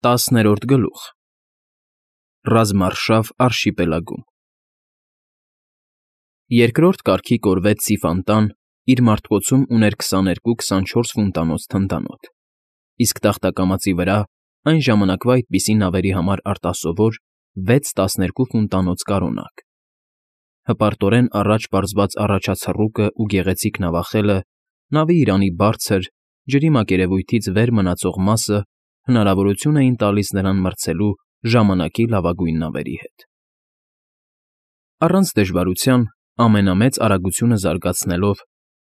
10-րդ գլուխ Ռազմարշավ արշիպելագում Երկրորդ կարգի կորվետ Սիֆանտան իր մարտկոցում ուներ 22-24 ֆունտանոց թնդանոթ, իսկ տախտակամածի վրա այն ժամանակվա այդպիսի նավերի համար արտասովոր 6-12 ֆունտանոց կարոնակ։ Հպարտորեն առաջ պարզված առաջացռուկը ու գեղեցիկ նավախելը, նավի իրանի բարձր, ջրի մակերևույթից վեր մնացող մասը հնարավորություն էին տալիս նրան մրցելու ժամանակի լավագույն նավերի հետ։ Առանց դժվարության, ամենամեծ արագությունը զարգացնելով,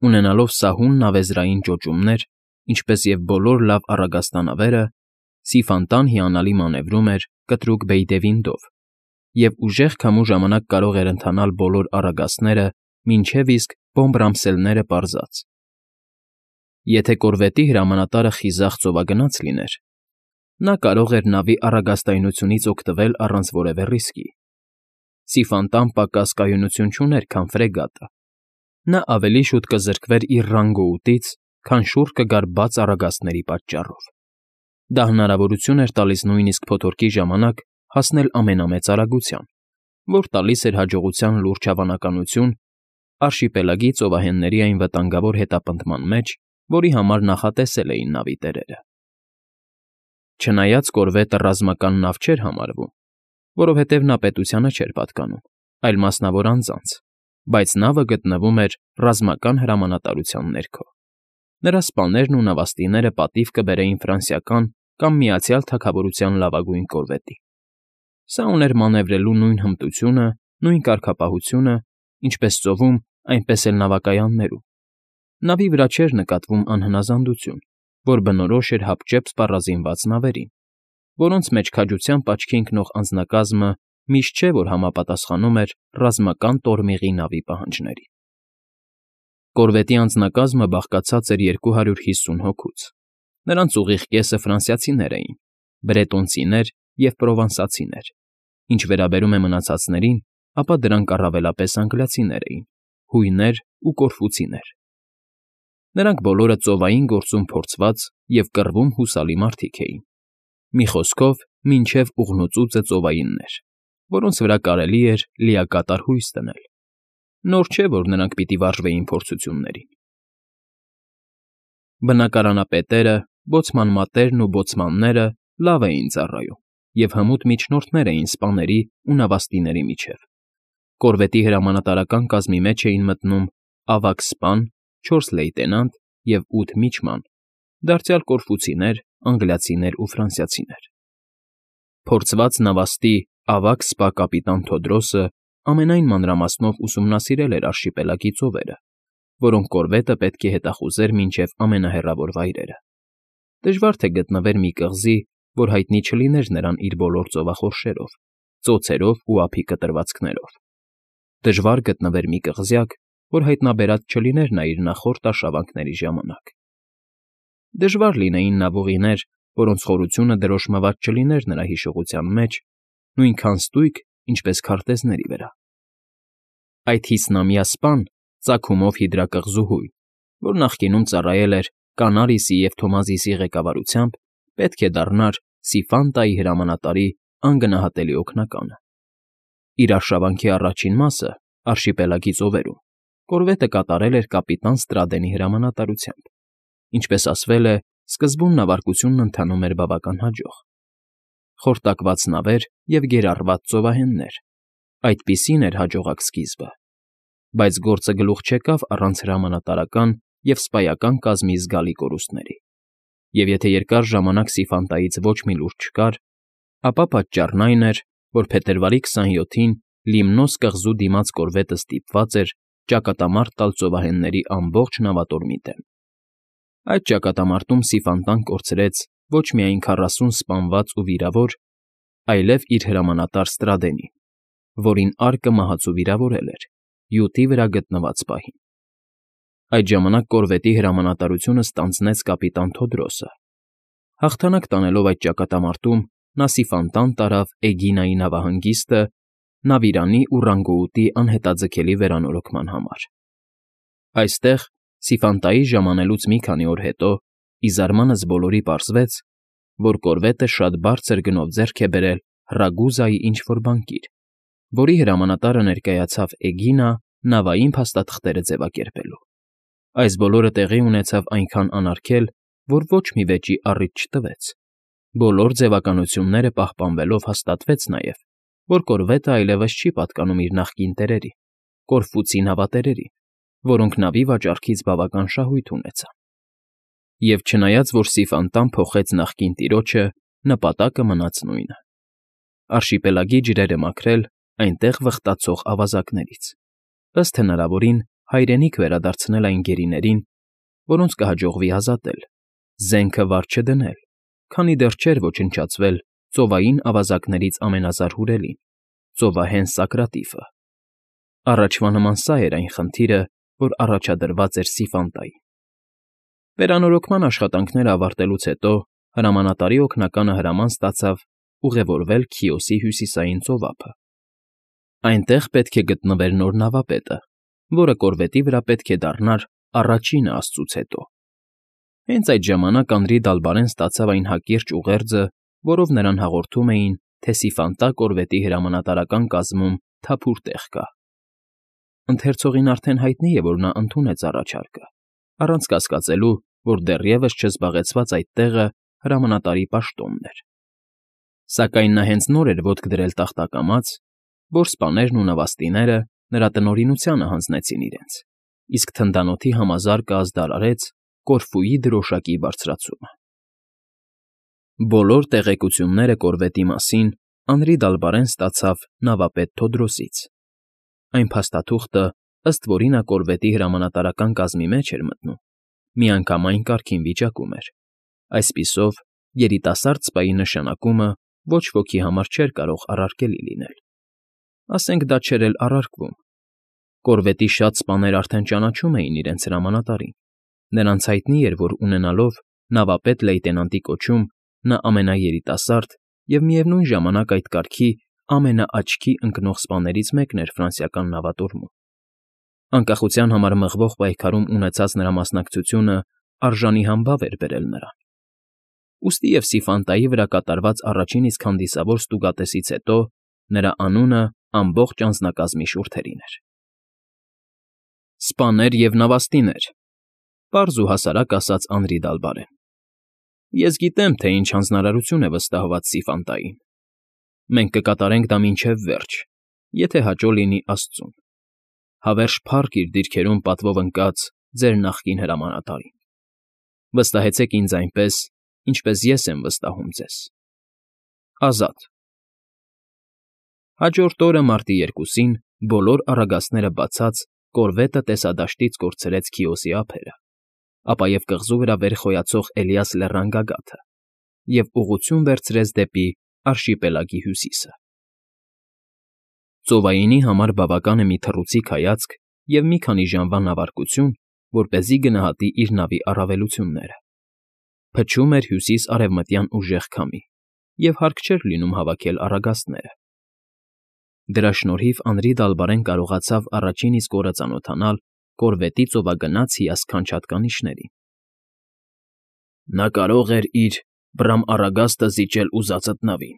ունենալով սահուն նավեզրային ճոճումներ, ինչպես և բոլոր լավ առագաստանավերը, Սիֆանտան հիանալի մանևրում էր կտրուկ բեյդևինտով և ուժեղ քամու ժամանակ կարող էր ընթանալ բոլոր առագաստները, մինչև իսկ բոմբ֊ռամսելները պարզած։ Եթե կորվետի հրամանատարը խիզախ ծովագնաց լիներ, նա կարող էր նավի առագաստայնությունից օգտվել առանց որևէ ռիսկի։ Սիֆանտան պակաս կայունություն չուներ, քան ֆրեգատը։ Նա ավելի շուտ կզրկվեր իր ռանգոուտից, քան շուռ կգար բաց առագաստների պատճառով։ Դա հնարավորություն էր տալիս նույնիսկ փոթորկի ժամանակ հասնել ամենամեծ արագության, որ տալիս էր հաջողության լուրջ հավանականություն արշիպելագի ծովահենների այն վտանգավոր հետապնդման մեջ, որի համար նախատեսել էին նավի տերերը։ Չնայած կորվետը ռազմական նավ չէր համարվում, որովհետև նա պետությանը չէր պատկանում, այլ մասնավոր անձանց, բայց նավը գտնվում էր ռազմական հրամանատարության ներքո։ Նրա սպաներն ու նավաստիները պատիվ կբերեին ֆրանսիական կամ Միացյալ Թագավորության լավագույն կորվետի։ Սա ուներ մանևրելու նույն հմտությունը, նույն կարգապահությունը, ինչպես ծովում, այնպես էլ նավակայաններում։ Նավի վրա չէր նկատվում անհնազանդություն, որ բնորոշ էր հապճեպ սպառազինված նավերին, որոնց մեջ քաջությամբ աչքի ընկնող անձնակազմը միշտ չէ, որ համապատասխանում էր ռազմական տորմիղի նավի պահանջներին։ Կորվետի անձնակազմը բաղկացած էր 250 հոգուց։ Նրանց ուղիղ կեսը ֆրանսիացիներ էին, բրետոնցիներ և պրովանսացիներ, ինչ վերաբերում է մնացածներին, ապա դրանք առավելապես անգլիացիներ էին, հույներ ու կորֆուցիներ։ Նրանք բոլորը ծովային գործում փորձված և կռվում հուսալի մարդիկ էին։ Մի խոսքով, մինչև ուղնուծուծը ծովայիններ, որոնց վրա կարելի էր լիակատար հույս դնել։ Նոր չէ, որ նրանք պիտի վարժվեին փորձություններին։ Բնակարանապետերը, բոցման մատերն ու բոցմանները լավ էին ծառայում և հմուտ միջնորդներ էին սպաների ու նավաստիների միջև։ Կորվետի հրամանատարական կազմի մեջ էին մտնում ավագ սպան, 4 լեյտենանտ և 8 միջման, դարձյալ կորֆուցիներ, անգլիացիներ ու ֆրանսիացիներ։ Փորձված նավաստի ավագ սպա կապիտան Թոդրոսը ամենայն մանրամասնով ուսումնասիրել էր արշիպելագի ծովերը, որոնք կորվետը պետք է հետախուզեր մինչև ամենահեռավոր վայրերը։ Դժվար թե գտնվեր մի կղզի, որ հայտնի չլիներ նրան իր բոլոր ծովախորշերով, ծոցերով ու ափի կտրվածքներով։ Դժվար գտնվեր մի կղզյակ, որ հայտնաբերած չլիներ նա իր նախորդ արշավանքների ժամանակ։ Դժվար լինեին նավուղիներ, որոնց խորությունը դրոշմված չլիներ նրա հիշողության մեջ, նույնքան ստույգ, ինչպես քարտեզների վրա։ Այդ 50-ամյա սպան, ծագումով հիդրակղզուհույն, որ նախկինում ծառայել էր Կանարիսի և Թոմազիսի ղեկավարությամբ, պետք է դառնար Սիֆանտայի հրամանատարի անգնահատելի օգնականը։ Իր արշավանքի առաջին մասը արշիպելագի ծովերում կորվետը կատարել էր կապիտան Ստրադենի հրամանատարությամբ։ Ինչպես ասվել է, սկզբում նավարկությունն ընթանում էր բավական հաջող։ Խորտակված նավեր և գերառված ծովահեններ, այդպիսին էր հաջողակ սկիզբը։ Բայց գործը գլուխ չեկավ առանց հրամանատարական և սպայական կազմի զգալի կորուստների։ Եվ եթե երկար ժամանակ Սիֆանտայից ոչ մի լուր չկար, ապա պատճառն այն էր, որ փետրվարի 27-ին Լիմնոս կղզու դիմաց կորվետը ստիպված էր ճակատամարտ տալ ծովահենների ամբողջ նավատորմի դեմ։ Այդ ճակատամարտում Սիֆանտան կորցրեց ոչ միայն 40 սպանված ու վիրավոր, այլև իր հրամանատար Ստրադենին, որինարկը մահացու վիրավորել էր, յուտի վրա գտնված պահին։ Այդ ժամանակ կորվետի հրամանատարությունը ստանձնեց կապիտան Թոդրոսը։ Հաղթանակ տանելով այդ ճակատամարտում նա Սիֆանտան տարավ Էգինայի նավահանգիստը նավիրանի ու ռանգոուտի անհետաձգելի վերանորոգման համար։ Այստեղ, Սիֆանտայի ժամանելուց մի քանի օր հետո, ի զարմանս բոլորի պարզվեց, որ կորվետը շատ բարձր գնով ձեռք է բերել Ռագուզայի ինչ-որ բանկիր, որի հրամանատարը ներկայացավ Էգինա նավային փաստաթղթերը ձևակերպելու։ Այս բոլորը տեղի ունեցավ այնքան անարգել, որ ոչ մի վեճի առիթ չտվեց։ Բոլոր ձևականությունները պահպանվելով հաստատվեց նաև, որ կորվետը այլևս չի պատկանում իր նախկին տերերի՝ Կորֆուցի նավատերերին, որոնք նավի վաճառքից բավական շահույթ ունեցան։ Եվ չնայած որ Սիֆանտան փոխեց նախկին տիրոջը, նպատակը մնաց նույնը՝ արշիպելագի ջրերը մաքրել այնտեղ վխտացող ավազակներից, ըստ հնարավորին հայրենիք վերադարձնել այն գերիներին, որոնց կհաջողվի ազատել, զենքը վար չդնել, քանի դեռ չէր ոչնչացվել ծովային ավազակներից ամենազարհուրելին՝ ծովահեն Սակրատիֆը։ Առաջվա նման սա էր այն խնդիրը, որ առաջադրված էր Սիֆանտային։ Վերանորոգման աշխատանքները ավարտելուց հետո հրամանատարի օգնականը հրաման ստացավ ուղևորվել Քիոսի հյուսիսային ծովափը։ Այնտեղ պետք է գտնվեր նոր նավապետը, որը կորվետի վրա պետք է դառնար առաջինը աստծուց հետո։ Հենց այդ ժամանակ Անրի Դալբարեն ստացավ այն հակիրճ ուղերձը, որով նրան հաղորդում էին, թե Սիֆանտա կորվետի հրամանատարական կազմում թափուր տեղ կա։ Ընթերցողին արդեն հայտնի է, որ նա ընդունեց առաջարկը, առանց կասկածելու, որ դեռևս չզբաղեցված այդ տեղը հրամանատարի պաշտոնն էր։ Սակայն նա հենց նոր էր ոտք դրել տախտակամաց, որ սպաներն ու նավաստիները նրա տնօրինությանը հանձնեցին իրենց, իսկ թնդանոթի համազարկը ազդարարեց Կորֆուի դրոշակի բարձրացումը։ Բոլոր տեղեկությունները կորվետի մասին Անրի Դալբարեն ստացավ նավապետ Թոդրոսից։ Այն փաստաթուղթը, ըստ որի նա կորվետի հրամանատարական կազմի մեջ էր մտնում, միանգամայն կարգին վիճակում էր։ Այսպիսով, երիտասարդ սպայի նշանակումը ոչ ոքի համար չէր կարող առարկելի լինել։ Ասենք դա չէր էլ առարկվում։ Կորվետի շատ սպաներ արդեն ճանաչում էին իրենց հրամանատարին։ Նրանց հայտնի էր, որ ունենալով նավապետ լեյտենանտի կոչում, նա ամենաերիտասարդ և միևնույն ժամանակ այդ կարգի ամենաաչքի ընկնող սպաներից մեկն էր ֆրանսիական նավատորմում։ Անկախության համար մղվող պայքարում ունեցած նրա մասնակցությունը արժանի համբավ էր բերել նրան։ Ուստի և Սիֆանտայի վրա կատարված առաջին իսկ հանդիսավոր ստուգատեսից հետո նրա անունը ամբողջ անձնակազմի շուրթերին էր։ Սպաներ և նավաստիներ, պարզ ու հասարակ ասաց Անրի Դալբարեն։ Ես գիտեմ, թե ինչ հանձնարարություն է վստահված Սիֆանտային։ Մենք կկատարենք դա մինչև վերջ, եթե հաճո լինի աստծուն։ Հավերժ փառք իր դիրքերում պատվով ընկած ձեր նախկին հրամանատարին։ Վստահեցեք ինձ այնպես, ինչպես ես եմ վստահում ձեզ։ Ազատ։ Հաջորդ օրը մարտի 2-ին բոլոր առագաստները բացած կորվետը տեսադաշտից կորցրեց Քիոսի ափերը, ապա և կղզու վրա վեր խոյացող Էլիաս լեռան գագաթը և ուղղություն վերցրեց դեպի արշիպելագի հյուսիսը։ Ծովայինի համար բավական է մի թռուցիկ հայացք և մի քանի ժամվա նավարկություն, որպեսզի գնահատի իր նավի առավելությունները։ Փչում էր հյուսիս֊արևմտյան ուժեղ քամի, և հարկ չէր լինում հավաքել առագաստները։ Դրա շնորհիվ Անրի Դալբարեն կարողացավ առաջին իսկ օրը ծանոթանալ կորվետի ծովագնաց հիասքանչ հատկանիշներին։ Նա կարող էր իր Բրամ առագաստը զիջել ուզածդ նավին։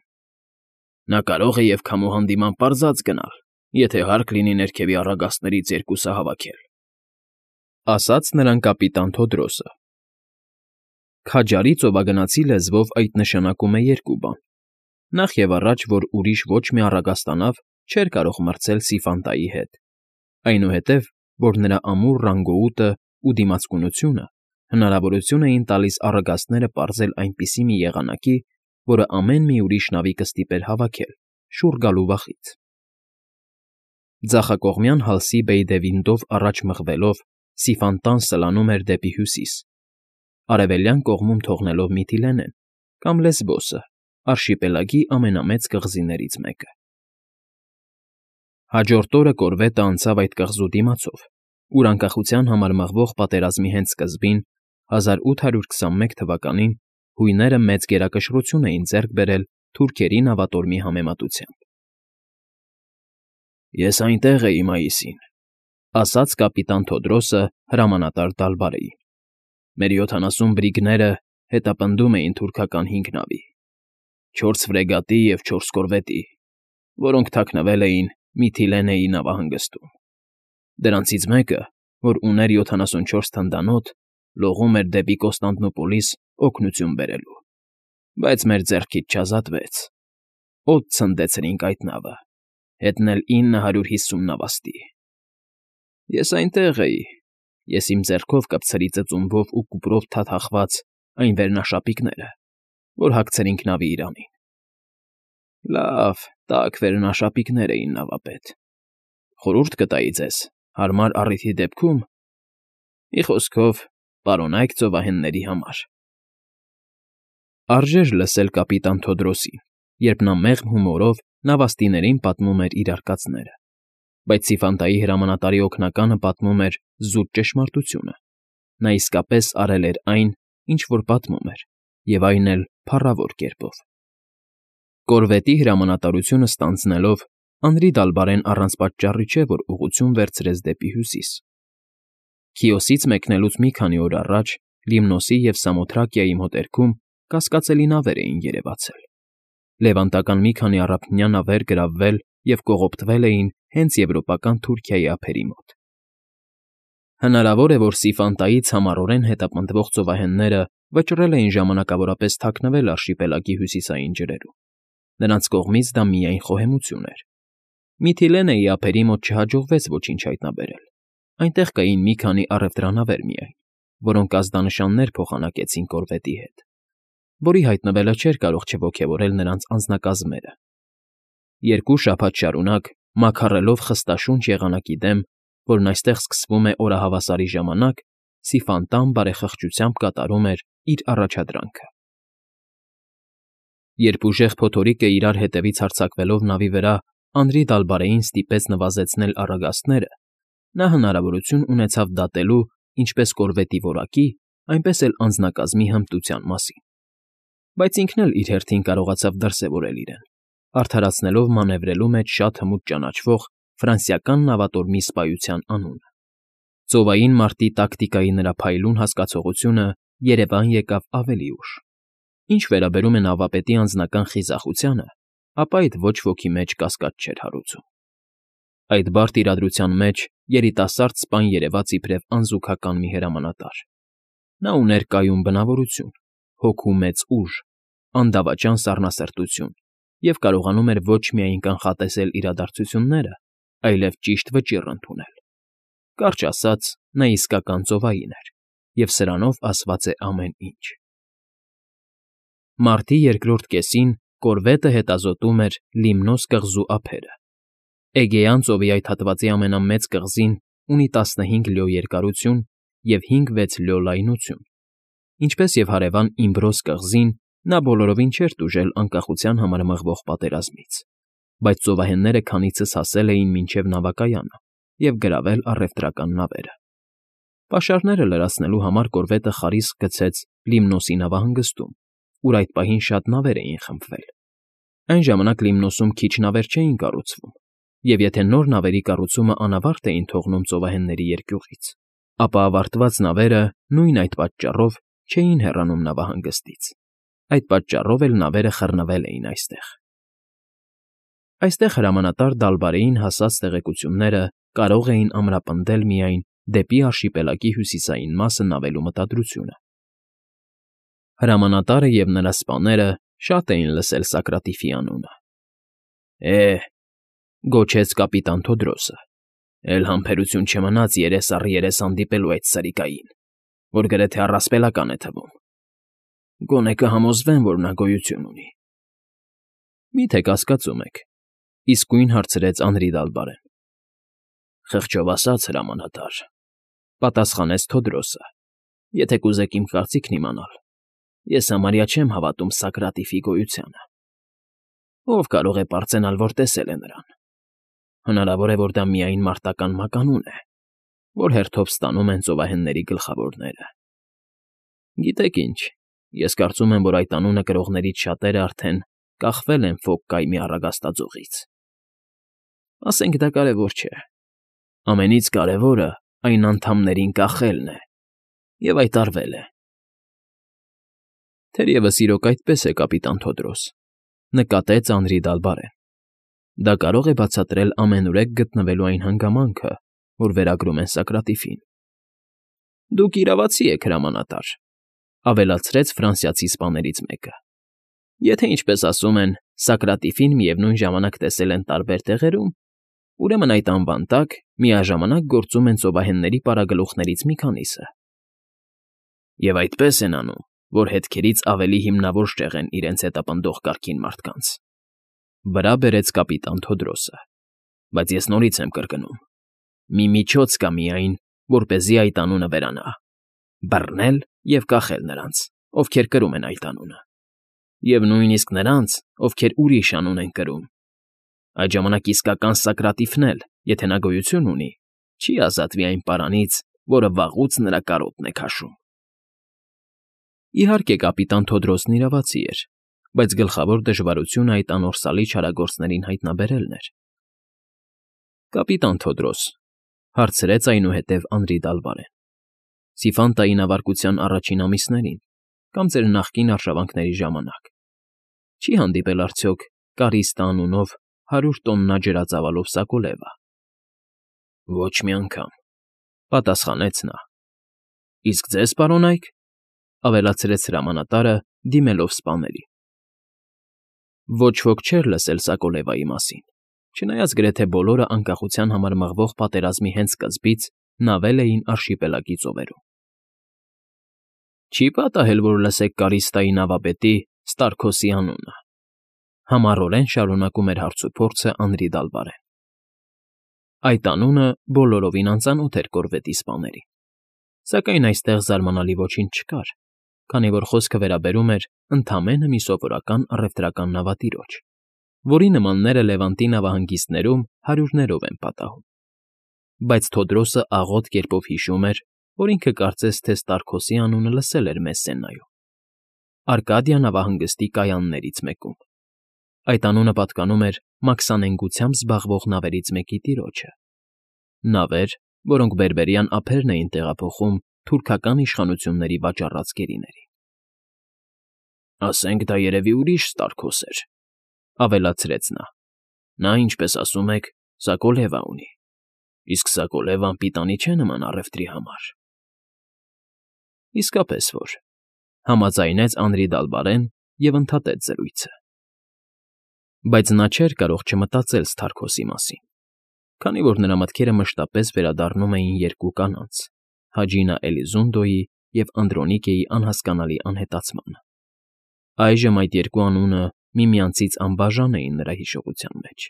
Նա կարող է և քամու հանդիման պարզած գնալ, եթե հարկ լինի ներքևի առագաստներից երկուսը հավաքել,֊ ասաց նրան կապիտան Թոդրոսը։ Քաջարի ծովագնացի լեզվով այդ նշանակում է երկու բան. նախ և առաջ, որ ուրիշ ոչ մի առագաստանավ չէր կարող մրցել Սիֆանտայի հետ, այնուհետև, որ նրա ամուր ռանգոուտը ու դիմացկունությունը հնարավորություն էին տալիս առագաստները պարզել այնպիսի մի եղանակի, որը ամեն մի ուրիշ նավի կստիպեր հավաքել, շուռ գալու վախից։ Ձախակողմյան հալսի Բեյդևինդով առաջ մղվելով Սիֆանտան սլանում էր դեպի հյուսիս, արևելյան կողմում թողնելով Միթիլենեն կամ Լեսբոսը, արշիպելագի ամենամեծ կղզիներից մեկը։ Հաջորդ օրը կորվետը անցավ այդ կղզու դիմացով, ուր անկախության համար մղվող պատերազմի հենց սկզբին, 1821 թվականին, հույները մեծ գերակշռություն էին ձեռք բերել թուրքերի նավատորմի համեմատությամբ։ Ես այնտեղ էի մայիսին,֊ ասաց կապիտան Թոդրոսը հրամանատար Դալբարեին։ Մեր 70 բրիգները հետապնդում էին թուրքական 5 նավի, 4 ֆրեգատի և 4 կորվետի, որոնք թաքնվել էին Միթիլենեի նավահանգստում։ Դրանցից մեկը, որ ուներ 74 թնդանոթ, լողում էր դեպի Կոստանդնուպոլիս օգնություն բերելու, բայց մեր ձեռքից չազատվեց։ Օդ ցնդեցրինք այդ նավը, հետն էլ 950 նավաստի։ Ես այնտեղ էի, ես իմ ձեռքով կպցրի ծծումբով ու կուպրով թաթախված այն վերնաշապիկները, որ հագցրինք նավի իրանին։ Լավ, տաք վերնաշապիկներ էին, նավապետ։ Խորհուրդ կտայի ձեզ, հարմար առիթի դեպքում, մի խոսքով, պարոնայք ծովահենների համար։ Արժեր լսել կապիտան Թոդրոսին, երբ նա մեղմ հումորով նավաստիներին պատմում էր իր արկածները, բայց Սիֆանտայի հրամանատարի օգնականը պատմում էր զուտ ճշմարտությունը։ Նա իսկապես արել էր այն, ինչ որ պատմում էր, և այն էլ փառավոր կերպով։ Կորվետի հրամանատարությունը ստանձնելով, Անրի Դալբարեն առանց պատճառի չէ, որ ուղղություն վերցրեց դեպի հյուսիս։ Քիոսից մեկնելուց մի քանի օր առաջ Լիմնոսի և Սամոթրակիայի մոտերքում կասկածելի նավեր էին երևացել։ Լևանտական մի քանի առափնյա նավեր գրավվել և կողոպտվել էին հենց եվրոպական Թուրքիայի ափերի մոտ։ Հնարավոր է, որ Սիֆանտայից համառորեն հետապնդվող ծովահենները վճռել էին ժամանակավորապես թաքնվել արշիպելագի հյուսիսային ջրերում։ Նրանց կողմից դա միայն խոհեմություն էր։ Միթիլենեի ափերի մոտ չհաջողվեց ոչինչ հայտնաբերել։ Այնտեղ կային մի քանի առևտրանավեր միայն, որոնք ազդանշաններ փոխանակեցին կորվետի հետ, որի հայտնվելը չէր կարող չոգևորել նրանց անձնակազմերը։ 2 շաբաթ շարունակ, մաքարելով խստաշունչ եղանակի դեմ, որն այստեղ սկսվում է օրահավասարի ժամանակ, Սիֆանտան բարեխղճությամբ կատարում էր իր առաջադրանքը։ Երբ ուժեղ փոթորիկը իրար հետևից հարձակվելով նավի վրա Անրի Դալբարեին ստիպեց նվազեցնել առագաստները, նա հնարավորություն ունեցավ դատելու ինչպես կորվետի որակի, այնպես էլ անձնակազմի հմտության մասին։ Բայց ինքն էլ իր հերթին կարողացավ դրսևորել իրեն, արդարացնելով մանևրելու մեջ շատ հմուտ ճանաչվող ֆրանսիական նավատորմի սպայության անունը։ Ծովային մարտի տակտիկայի նրա փայլուն հասկացողությունը երևան եկավ ավելի ուշ։ Ինչ վերաբերում է նավապետի անձնական խիզախությանը, ապա այդ ոչ ոքի մեջ կասկած չէր հարուցում։ Այդ բարդ իրադրության մեջ երիտասարդ սպան երևաց իբրև անզուգական մի հրամանատար։ Նա ուներ կայուն բնավորություն, հոգու մեծ ուժ, անդավաճան սառնասրտություն և կարողանում էր ոչ միայն կանխատեսել իրադարձությունները, այլև ճիշտ վճիռ ընդունել։ Կարճ ասած, նա իսկական ծովային էր, և սրանով ասված է ամեն ինչ։ Մարտի երկրորդ կեսին կորվետը հետազոտում էր Լիմնոս կղզու ափերը։ Էգեյան ծովի այդ հատվածի ամենամեծ կղզին ունի 15 լյո երկարություն և 5-6 լյո լայնություն։ Ինչպես և հարևան Իմբրոս կղզին, նա բոլորովին չէր տուժել անկախության համար մղվող պատերազմից, բայց ծովահենները քանիցս հասել էին մինչև նավակայանը և գրավել առևտրական նավերը։ Պաշարները լրացնելու համար կորվետը խարիսկ գցեց Լիմնոսի նավահանգստում, ուր այդ պահին շատ նավեր էին խմբվել։ Այն ժամանակ Լիմնոսում քիչ նավեր չէին կառուցվում, և եթե նոր նավերի կառուցումը անավարտ էին թողնում ծովահենների երկյուղից, ապա ավարտված նավերը նույն այդ պատճառով չէին հեռանում նավահանգստից։ Այդ պատճառով էլ նավերը խռնվել էին այստեղ։ Այստեղ հրամանատար Դալբարեին հասած տեղեկությունները կարող էին ամրապնդել միայն դեպի արշիպելագի հյուսիսային մասը նավելու մտադրությունը։ Հրամանատարը և նրա սպաները շատ էին լսել Սոկրատիֆի անունը։ «Է՜,» գոչեց կապիտան Թոդրոսը,֊ էլ համբերություն չմնաց երես առ երես հանդիպելու այդ սրիկային, որ գրեթե առասպելական է թվում։ Գոնե կհամոզվեմ, որ նա գոյություն ունի։ Մի՞թե կասկածում եք,֊ իսկույն հարցրեց Անրի Դալբարեն։ Խղճով ասած, հրամանատար,֊ պատասխանեց Թոդրոսը,֊ եթե կուզեք իմ կարծիքն իմանալ, ես համարյա չեմ հավատում Սոկրատիֆի գոյությանը։ Ով կարող է պարծենալ, որ տեսել է նրան։ Հնարավոր է, որ դա միայն մարտական մականուն է, որ հերթով ստանում են ծովահենների գլխավորները։ Գիտեք ինչ, ես կարծում եմ, որ այդ անունը կրողներից շատերը արդեն կախվել են Ֆոկ կայմի առագաստաձողից։ Ասենք դա կարևոր չէ։ Ամենից կարևորը այն անդամներին կախելն է, և այդ արվել է։ Թերևս իրոք այդպես է, կապիտան Թոդրոս, նկատեց Անրի Դալբարեն։ Դա կարող է բացատրել ամենուրեք գտնվելու այն հանգամանքը, որ վերագրում են Սոկրատիֆին։ Դուք իրավացի եք, հրամանատար, ավելացրեց ֆրանսիացի սպաներից մեկը։ Եթե ինչպես ասում են, Սոկրատիֆին միևնույն ժամանակ տեսել են տարբեր տեղերում, ուրեմն այդ անվան տակ միաժամանակ գործում են ծովահենների պարագլուխներից մի քանիսը։ Եվ այդպես են անում, որ հետքերից ավելի հիմնավոր շեղեն իրենց հետապնդող կարգին մարդկանց։ Վրա բերեց կապիտան Թոդրոսը։ Բայց ես նորից եմ կրկնում. մի միջոց կա միայն, որպեսզի այդ անունը վերանա. բռնել և կախել նրանց, ովքեր կրում են այդ անունը, և նույնիսկ նրանց, ովքեր ուրիշ անուն են կրում։ Այդ ժամանակ իսկական Սոկրատիֆն էլ, եթե նա գոյություն ունի, չի ազատվի այն պարանից, որը վաղուց նրա կարոտն է քաշում։ Իհարկե, կապիտան Թոդրոսն իրավացի էր, բայց գլխավոր դժվարությունը այդ անորսալի չարագործներին հայտնաբերելն էր։ Կապիտան Թոդրոս, հարցրեց այնուհետև Անրի Դալբարեն, Սիֆանտայի նավարկության առաջին ամիսներին կամ ձեր նախկին արշավանքների ժամանակ չի հանդիպել արդյոք Կարիստա անունով 100 տոննա ջրածավալով սակոլևա։ Ոչ մի անգամ, պատասխանեց նա։ Իսկ ձեզ, պարոն Այք, ավելացրեց հրամանատարը, դիմելով սպաներին։ Ոչ ոք չէր լսել Սակոլևայի մասին, չնայած գրեթե բոլորը անկախության համար մղվող պատերազմի հենց սկզբից նավել էին արշիպելագի ծովերում։ Չի պատահել, որ լսեք Կարիստայի նավապետի Ստարքոսի անունը, համառորեն շարունակում էր հարցուփորձը Անրի Դալբարեն։ Այդ անունը բոլորովին անծանոթ էր կորվետի սպաներին, սակայն այստեղ զարմանալի ոչինչ չկար, քանի որ խոսքը վերաբերում էր ընդամենը մի սովորական առևտրական նավատիրոջ, որի նմանները Լևանտի նավահանգիստներում հարյուրներով են պատահում։ Բայց Թոդրոսը աղոտ կերպով հիշում էր, որ ինքը կարծես թե Ստարքոսի անունը լսել էր Մեսսենայում, Արկադիա նավահանգստի կայաններից մեկում։ Այդ անունը պատկանում էր մաքսանենգությամբ զբաղվող նավերից մեկի տիրոջը։ Նավեր, որոնք բերբերյան ափերն էին տեղափոխում թուրքական իշխանությունների վաճառած գերիներին։ Ասենք դա երևի ուրիշ Ստարքոս էր, ավելացրեց նա։ Նա, ինչպես ասում եք, Սակոլևա ունի, իսկ Սակոլևան պիտանի չէ նման առևտրի համար։ Իսկապես որ, համաձայնեց Անրի Դալբարեն և ընդհատեց զրույցը։ Բայց նա չէր կարող չմտածել Սթարքոսի մասին, քանի որ նրա մտքերը մշտապես վերադառնում էին երկու կանանց՝ Հաջինա Էլիզունդոյի և Անդրոնիկեի անհասկանալի անհետացմանը։ Այժմ այդ երկու անունը միմյանցից անբաժան էին նրա հիշողության մեջ։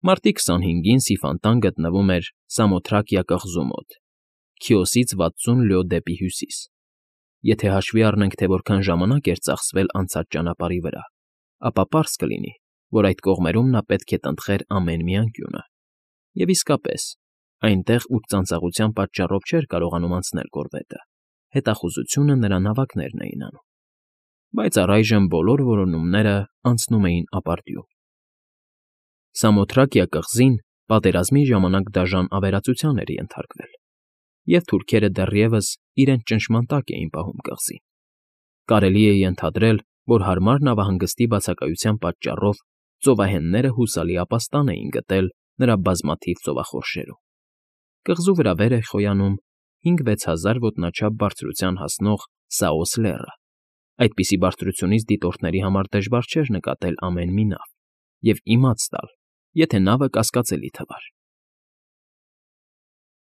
Մարտի 25-ին Սիֆանտան գտնվում էր Սամոթրակիա կղզու մոտ, Քիոսից 60 լյո դեպի հյուսիս։ Եթե հաշվի առնենք, թե որքան ժամանակ էր ծախսվել անցած ճանապարհի վրա, ապա պարզ կլինի, որ այդ կողմերում նա պետք է տնտղեր ամեն մի անկյունը։ Եվ իսկապես, այնտեղ, ուր ծանծաղության պատճառով չէր կարողանում անցնել կորվետը, հետախուզությունը նրա նավակներն էին անում։ Բայց առայժմ բոլոր որոնումները անցնում էին ապարդյուն։ Սամոթրակիա կղզին պատերազմի ժամանակ դաժան ավերածության էր ենթարկվել, և թուրքերը դեռևս իրենց ճնշման տակ էին պահում կղզին։ Կարելի է ենթադրել, որ հարմար նավահանգստի բացակայության պատճառով ծովահենները հուսալի ապաստան էին գտել նրա բազմաթիվ ծովախորշերում։ Կղզու վրա վեր էր խոյանում 5-6 հազար ոտնաչափ բարձրության հասնող Սաոս լեռը։ Այդպիսի բարձրությունից դիտորդների համար դժվար չէր նկատել ամեն մի նավ և իմաց տալ, եթե նավը կասկածելի թվար։